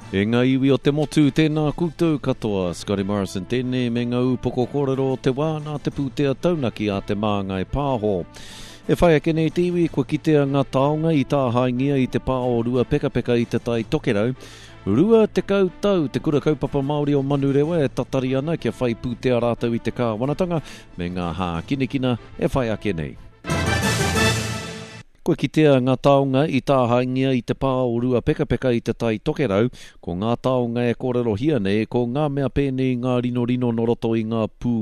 E ngā iwi o te motu, tēnā koutou katoa. Scotty Morrison tēnei me ngā ūpoko kōrero o te wā nā te pūtea taunaki a Te Māngai Pāho. E whai ake nei te iwi, kua kitea ngā taonga i tāhaengia i te pā o Ruapekapeka i Te Tai Tokerau. 20 tau te Kura Kaupapa Māori o Manurewa e tatari ana kia whai pūtea rātou i te kāwanatanga me ngā hākinakina e whai ake nei. Kua kitea ngā taonga i tāhaengia i te pā o Ruapekapeka i Te Tai Tokerau, ko ngā taonga e kōrerohia nei ko ngā mea pēnei i ngā rinorino nō roto i ngā pū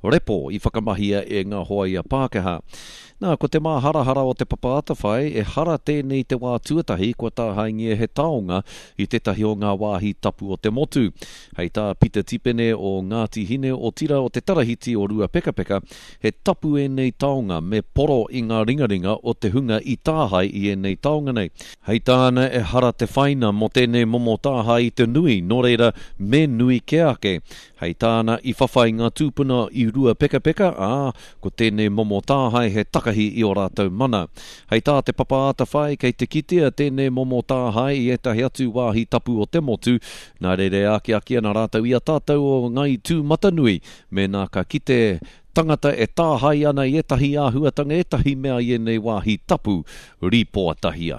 repo i whakamahia e ngā hoaia Pākehā. Nā, ko te māharahara o Te Papa Atawhai, ehara tēnei te wā tuatahi kua tāhaengia he taonga i tētahi o ngā wāhi tapu o te motu. Hei tā Pita Tipene o Ngāti Hine otira o te Tarahiti o Ruapekapeka, He tapu ēnei taonga me poro i ngā ringaringa o te hunga i tāhae i ēnei taonga nei. Hei tāna ehara te whaina mō tēnei momo tāhae i te nui, nō reira, me nui kē ake. Hei tāna i whawhai ngā tūpuna i Ruapekapeka, ā, ko tēnei momo tāhae he takahi i ō rātou mana. Hei tā Te Papa Atawhai, kei te kitea tēnei momo tāhae i ētahi atu wāhi tapu o te motu, nā reira e akiaki ana rātou i a tātou o Ngāi Tūmatanui Mēnā ka kite tangata e tāhae ana i ētahi āhuatanga, ētahi mea i ēnei wāhi tapu, rīpoatahia.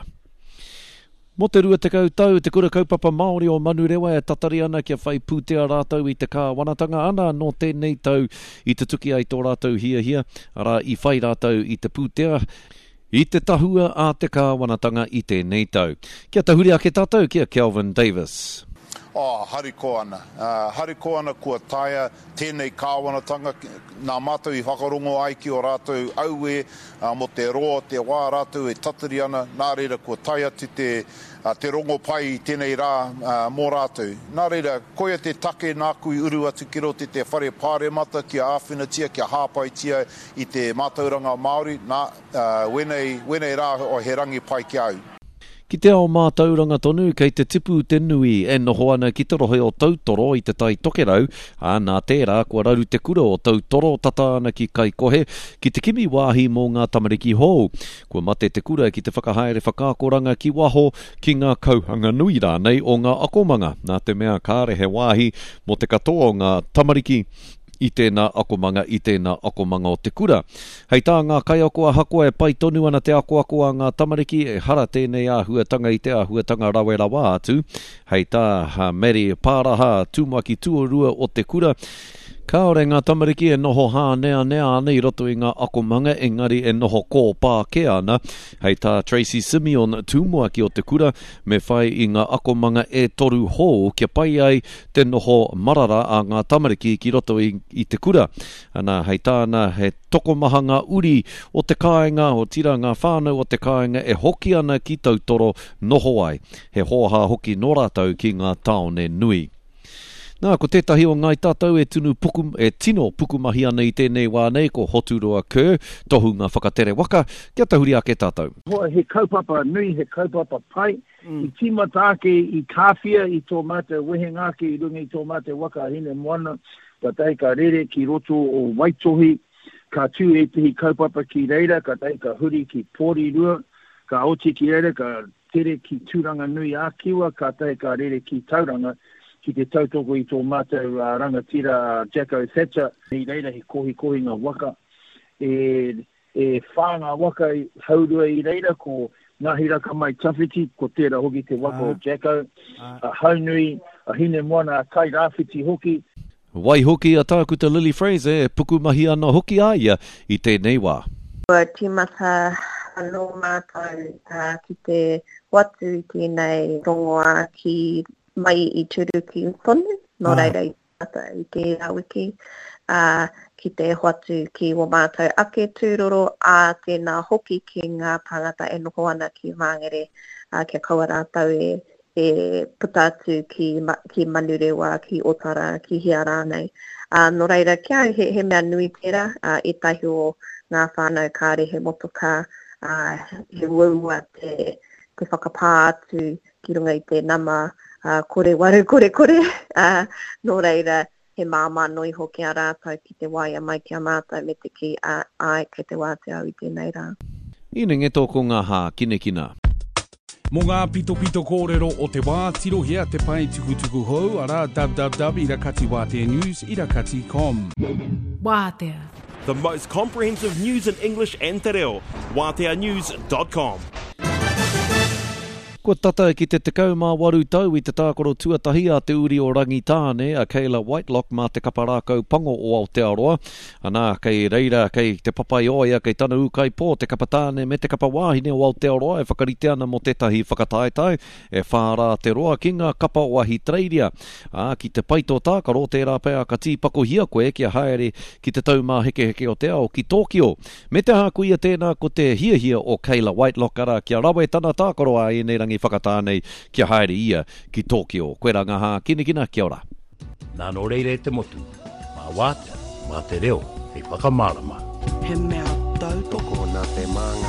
Mō te 20 tau, Te Kura Kaupapa Māori o Manurewa e tatari ana kia whai pūtea rātou i te kāwanatanga, ana nō tēnei tau i tutuki ai tō rātou hiahia, arā, i whai rātou i te pūtea, i te tahua a te kāwanatanga i tēnei tau. Kia tahuri ake tātou ki a Kelvin Davis. Oh, harikoa ana. Harikoa ana kua taea tēnei kāwanatanga, nā mātou i whakarongo ai ki ō rātou auē mō te roa o te wā rātou e tatari ana, nā reira kua tae atu te, te rongopai i tēnei rā mō rātou. Nā reira, koia te take nāku i uru atu ki roto i te whare pāremata kia āwhinatia, kia hāpaitia i te mātauranga Māori, nā, wēnei, wēnei rā he rangi pai ki a au. Ki te ao mātauranga tonu, kei te tipu te nui e noho ana ki te rohe o Tautoro i Te Tai Tokerau, ā, nā tērā kua raru te kura o Tautoro tata ana ki Kaikohe ki te kimi wāhi mō ngā tamariki hou. Kua mate te kura ki te whakahaere whakaakoranga ki waho, ki ngā kauhanga nui rānei o ngā akomanga, nā te mea kāre he wāhi mō te katoa o ngā tamariki i tēnā akomanga, i tēnā akomanga o te kura. Hei tā ngā kaiako ahakoa e pai tonu ana te akoako a ngā tamariki, ehara tēnei āhuatanga i te āhuatanga rawe rawa atu. Hei tā Maddie Pāraha, tumuaki tuarua o te kura, Kāore ngā tamariki e noho hāneanea ana i roto i ngā akomanga engari e noho kōpā kē ana. Hei tā Tracey Simeon, tumuaki o te kura, me whai i ngā akomanga e toru hou kia pai ai te noho marara a ngā tamariki ki roto i, i te kura. Ana, hei tāna, he tokomaha ngā uri o te kāinga, otirā ngā whānau o te kāinga e hoki ana ki Tautoro noho ai. He hōhā hoki nō rātou ki ngā tāone nui. Nā, ko tētahi o Ngāi Tātou e tunu puku, e tino pukumahi ana i tēnei wā nei, ko Hoturoa Kerr, tohunga whakatere waka, kia tahuri ake tātou. He kaupapa nui, he kaupapa pai, I tīmata ake i Kāwhia i tō mātou wehenga ake i runga i tō mātou waka a Hinemoana, kātahi ka rere ki roto o Waitohi, ka tū ētehi kaupapa ki reira, kātahi ka huri ki Porirua, ka oti ki reira, ka tere ki Tūranganui-ā-Kiwa, kātahi ka rere ki Tauranga ki te tautoko i tō mātou rangatira a Jacko Thatcher. I reira he kohikohinga waka e E whā ngā waka haurua i reira, ko Ngahiraka Mai Tawhiti, ko tērā hoki te waka o Jacko, a Haunui, a Hinemoana, a Tairāwhiti hoki. Waihoki a Tākuta Lily Fraser e pukumahi ana hoki a ia i tēnei wā. Kua tīmata anō mātou ki te hoatu i tēnei rongoā ki mai i Turuki tonu, nō reira i ata i tērā wiki, ā, ki te hoatu ki wō mātou ake tūroro, ā, tēnā hoki ki ngā tāngata e noho ana ki Māngere, ā, kia kaua rātou e, e puta atu ki, ki Manurewa, ki Otara, ki hea rānei. Ā, nō reira, ki a au, he, he mea nui tērā, ā, ētahi o ngā whānau kāre he motokā, ā, he uaua te, te whakapā atu ki runga i te nama kore waru kore kore, ā, nō reira, he māmā noa iho ki a rātou ki te waea mai ki a mātou me te kī, ā, āe, kei te wātea au i tēnei rā. Inengeto ko ngā hākinakina. Mō ngā pitopito kōrero o te wā, tirohia te pae tukutuku hou, arā, www irakatiwāteanews irakati com. Wātea. The most comprehensive news in English and te reo. Wāteanews dot com. Kua tata ki te 18 tau i te tākaro tuatahi a te uri o Rangitāne, a Kayla Whitelock mā te kapa rākau pango o Aotearoa. Anā, kei reira, kei Te Papaioea, kei tana ūkaipō, te kapa tāne me te kapa wāhine o Aotearoa e whakarite ana mō tētahi whakataetae e whā rā te roa ki ngā kapa o Ahitereiria. Ā, ki te pai tō tākaro, tērā pea ka tīpakohia koe kia haere ki te Taumāhekeheke o te Ao ki Tōkio. Me te aha koia tēnā ko te hiahia o Kayla Whitelock arā kia rawe tana tākaro ā ēnei rangi whakatā nei kia haere ia ki Tōkio. Koirā ngā hākinakina, kia ora. Nā nō reira e te motu, mā Wātea, mā te reo hei whakamārama. He mea tautoko nā te māngai.